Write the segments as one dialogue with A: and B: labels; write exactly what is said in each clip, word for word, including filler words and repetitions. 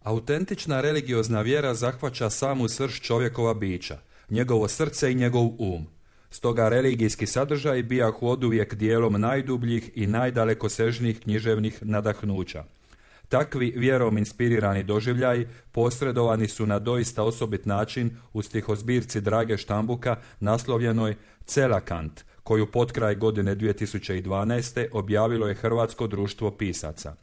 A: Autentična religiozna vjera zahvaća samu srž čovjekova bića, njegovo srce i njegov um. Stoga religijski sadržaj bijahu oduvijek dijelom najdubljih i najdalekosežnijih književnih nadahnuća. Takvi vjerom inspirirani doživljaji posredovani su na doista osobit način u stihozbirci Drage Štambuka naslovljenoj Celakant, koju potkraj godine dvije tisuće dvanaeste. objavilo je Hrvatsko društvo pisaca.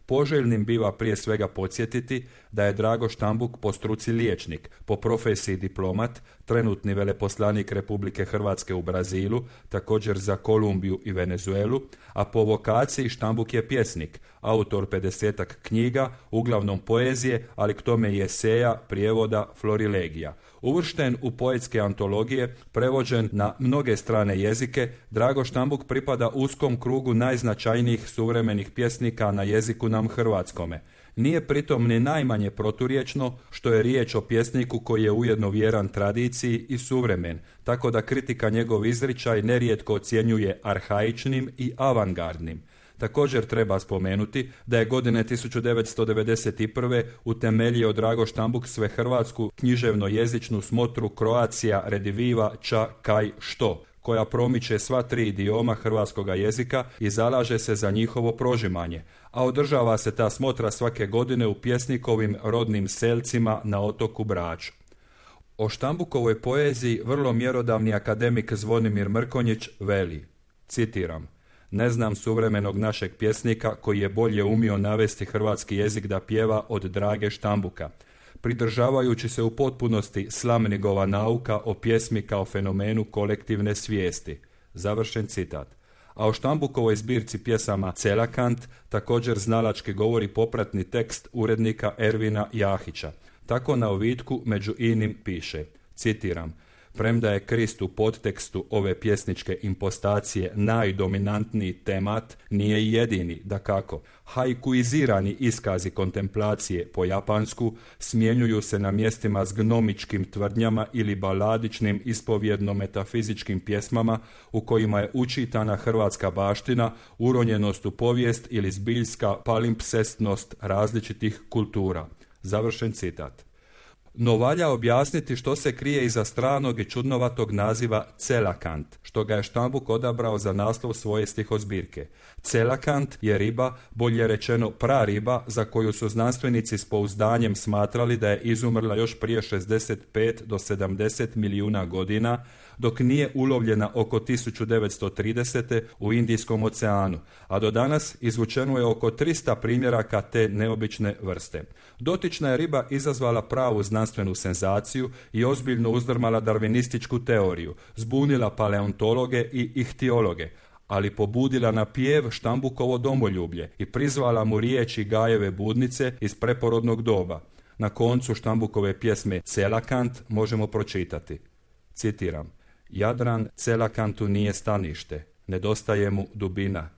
A: Poželjnim biva prije svega podsjetiti da je Drago Štambuk po struci liječnik, po profesiji diplomat, trenutni veleposlanik Republike Hrvatske u Brazilu, također za Kolumbiju i Venezuelu, a po vokaciji Štambuk je pjesnik, autor pedesetak knjiga, uglavnom poezije, ali k tome i eseja, prijevoda, florilegija. Uvršten u poetske antologije, prevođen na mnoge strane jezike, Drago Štambuk pripada uskom krugu najznačajnijih suvremenih pjesnika na jeziku nam hrvatskome. Nije pritom ni najmanje proturječno što je riječ o pjesniku koji je ujedno vjeran tradiciji i suvremen, tako da kritika njegov izričaj nerijetko ocjenjuje arhaičnim i avangardnim. Također treba spomenuti da je godine tisuću devetsto devedeset prve. utemeljio Drago Štambuk svehrvatsku književno-jezičnu smotru Croatia Rediviva Ča Kaj Što, koja promiče sva tri idioma hrvatskoga jezika i zalaže se za njihovo prožimanje, a održava se ta smotra svake godine u pjesnikovim rodnim selcima na otoku Braču. O Štambukovoj poeziji vrlo mjerodavni akademik Zvonimir Mrkonjić veli, citiram: "Ne znam suvremenog našeg pjesnika koji je bolje umio navesti hrvatski jezik da pjeva od Drage Štambuka, pridržavajući se u potpunosti Slamnigova nauka o pjesmi kao fenomenu kolektivne svijesti." Završen citat. A o Štambukovoj zbirci pjesama Celakant također znalački govori popratni tekst urednika Ervina Jahića. Tako na ovitku među inim piše, citiram: "Premda je Krist u podtekstu ove pjesničke impostacije najdominantniji temat, nije i jedini, dakako. Haikuizirani iskazi kontemplacije po japansku smjenjuju se na mjestima s gnomičkim tvrdnjama ili baladičnim ispovjedno-metafizičkim pjesmama u kojima je učitana hrvatska baština, uronjenost u povijest ili zbiljska palimpsestnost različitih kultura." Završen citat. No valja objasniti što se krije iza stranog i čudnovatog naziva Celakant, što ga je Štambuk odabrao za naslov svoje stihozbirke. Celakant je riba, bolje rečeno prariba, za koju su znanstvenici s pouzdanjem smatrali da je izumrla još prije šezdeset pet do sedamdeset milijuna godina, dok nije ulovljena oko tisuću devetsto tridesete. u Indijskom oceanu, a do danas izvučeno je oko tristo primjeraka te neobične vrste. Dotična je riba izazvala pravu znanstvenu senzaciju i ozbiljno uzdrmala darvinističku teoriju, zbunila paleontologe i ihtiologe, ali pobudila na pjev Štambukovo domoljublje i prizvala mu riječi Gajeve budnice iz preporodnog doba. Na koncu Štambukove pjesme Celakant možemo pročitati, citiram: "Jadran Celakantu nije stanište, nedostaje mu dubina,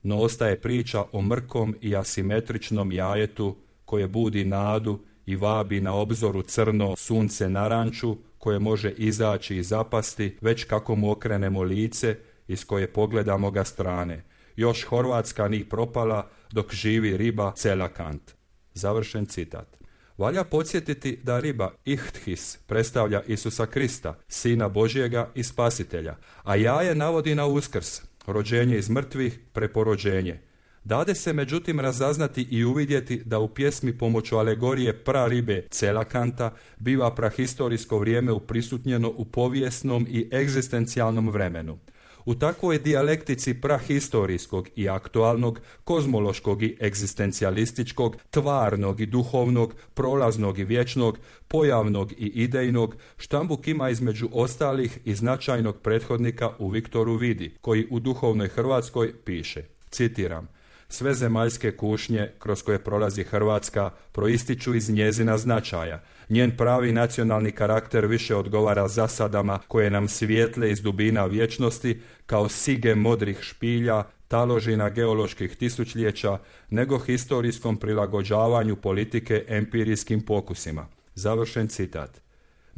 A: no ostaje priča o mrkom i asimetričnom jajetu koje budi nadu i vabi na obzoru crno sunce naranču koje može izaći i zapasti već kako mu okrenemo lice iz koje pogledamo ga strane. Još Horvatska ni propala dok živi riba Celakant." Završen citat. Valja podsjetiti da riba Ihthis predstavlja Isusa Krista, Sina Božjega i Spasitelja, a jaje navodi na Uskrs, rođenje iz mrtvih, preporođenje. Dade se međutim razaznati i uvidjeti da u pjesmi pomoću alegorije praribe Celakanta biva prahistorijsko vrijeme uprisutnjeno u povijesnom i egzistencijalnom vremenu. U takvoj dijalektici prahistorijskog i aktualnog, kozmološkog i egzistencijalističkog, tvarnog i duhovnog, prolaznog i vječnog, pojavnog i idejnog, Štambuk ima između ostalih i značajnog prethodnika u Viktoru Vidi, koji u duhovnoj Hrvatskoj piše, citiram: "Sve zemaljske kušnje kroz koje prolazi Hrvatska proističu iz njezina značaja. Njen pravi nacionalni karakter više odgovara zasadama koje nam svijetle iz dubina vječnosti kao sige modrih špilja, taložina geoloških tisućljeća, nego historijskom prilagođavanju politike empirijskim pokusima." Završen citat.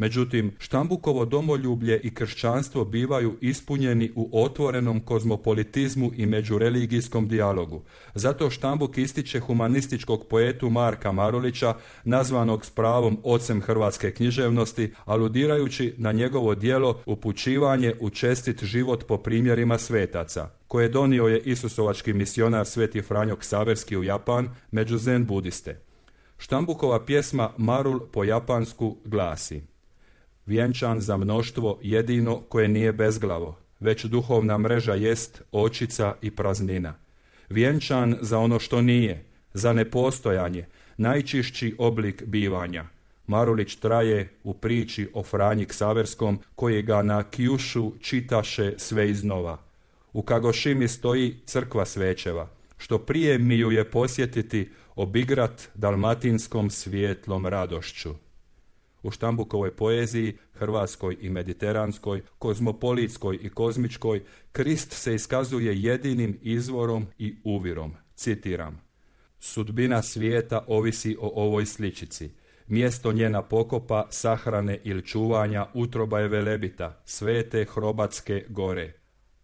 A: Međutim, Štambukovo domoljublje i kršćanstvo bivaju ispunjeni u otvorenom kozmopolitizmu i međureligijskom dijalogu. Zato Štambuk ističe humanističkog poetu Marka Marulića, nazvanog s pravom ocem hrvatske književnosti, aludirajući na njegovo djelo Upućivanje u čestit život po primjerima svetaca, koje donio je isusovački misionar Sveti Franjo Ksaverski u Japan među zen budiste. Štambukova pjesma Marul po japansku glasi: vjenčan za mnoštvo jedino koje nije bezglavo, već duhovna mreža jest očica i praznina. Vjenčan za ono što nije, za nepostojanje, najčišći oblik bivanja. Marulić traje u priči o Franji Ksaverskom, koji ga na Kjušu čitaše sve iznova. U Kagošimi stoji crkva Svećeva, što prije mi ju je posjetiti, obigrat dalmatinskom svijetlom radošću. U Štambukovoj poeziji, hrvatskoj i mediteranskoj, kozmopolitskoj i kozmičkoj, Krist se iskazuje jedinim izvorom i uvirom. Citiram: sudbina svijeta ovisi o ovoj sličici. Mjesto njena pokopa, sahrane ili čuvanja utroba je Velebita, svete Hrobatske gore.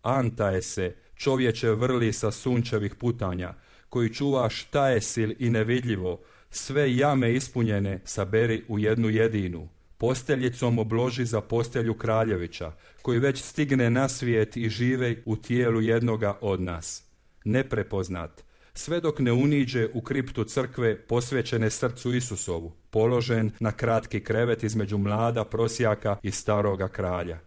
A: Antaje se, čovječe vrli sa sunčevih putanja, koji čuva šta je sil i nevidljivo, sve jame ispunjene saberi u jednu jedinu. Posteljicom obloži za postelju Kraljevića, koji već stigne na svijet i žive u tijelu jednoga od nas. Neprepoznat, sve dok ne uniđe u kriptu crkve posvećene srcu Isusovu, položen na kratki krevet između mlada prosjaka i staroga kralja.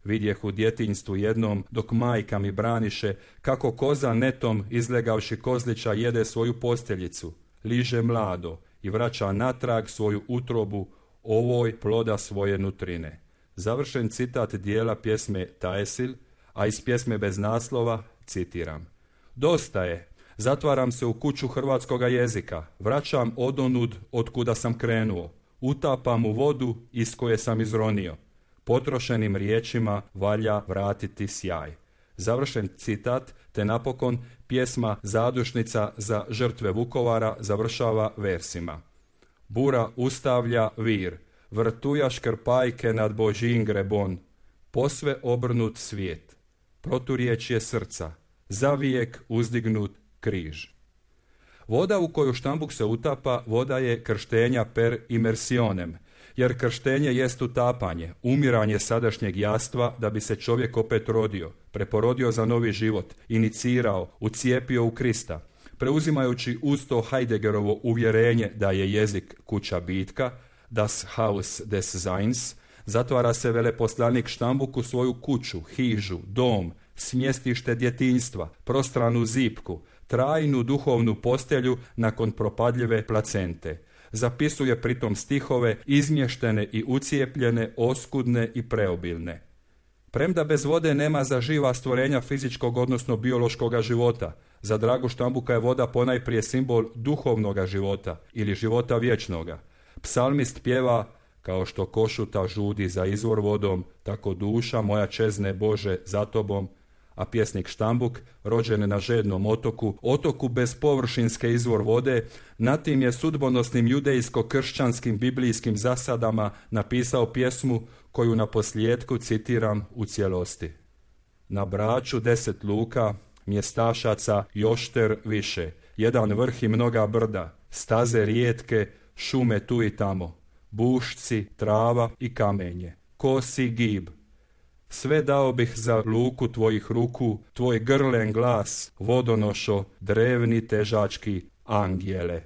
A: Vidjeh u djetinjstvu jednom, dok majka mi braniše, kako koza netom izlegavši kozlića jede svoju posteljicu, liže mlado i vraća natrag svoju utrobu ovoj ploda svoje nutrine. Završen citat dijela pjesme Taesil, a iz pjesme bez naslova citiram: dosta je, zatvaram se u kuću hrvatskoga jezika, vraćam odonud od kuda sam krenuo, utapam u vodu iz koje sam izronio. Potrošenim riječima valja vratiti sjaj. Završen citat, te napokon pjesma Zadušnica za žrtve Vukovara završava versima: bura ustavlja vir, vrtuja škrpajke nad Božjin grebon, posve obrnut svijet, proturječje srca, zavijek uzdignut križ. Voda u koju Štambuk se utapa, voda je krštenja per immersionem, jer krštenje jest utapanje, umiranje sadašnjeg jastva da bi se čovjek opet rodio, preporodio za novi život, inicirao, ucijepio u Krista, preuzimajući uz to Heideggerovo uvjerenje da je jezik kuća bitka, das Haus des Seins, zatvara se veleposlanik Štambuk u svoju kuću, hižu, dom, smjestište djetinjstva, prostranu zipku, trajnu duhovnu postelju nakon propadljive placente. Zapisuje pritom stihove izmještene i ucijepljene, oskudne i preobilne. Premda bez vode nema za živa stvorenja fizičkog odnosno biološkoga života, za Dragu Štambuka je voda ponajprije simbol duhovnoga života ili života vječnoga. Psalmist pjeva: kao što košuta žudi za izvor vodom, tako duša moja čezne Bože za tobom, a pjesnik Štambuk, rođen na žednom otoku, otoku bez površinske izvor vode, na tim je sudbonosnim judejsko-kršćanskim biblijskim zasadama napisao pjesmu koju na posljedku citiram u cijelosti. Na Braču deset luka, mjestašaca jošter više, jedan vrh i mnoga brda, staze rijetke, šume tu i tamo, bušci, trava i kamenje, kosi gib. Sve dao bih za luku tvojih ruku, tvoj grlen glas, vodonošo, drevni težački angijele.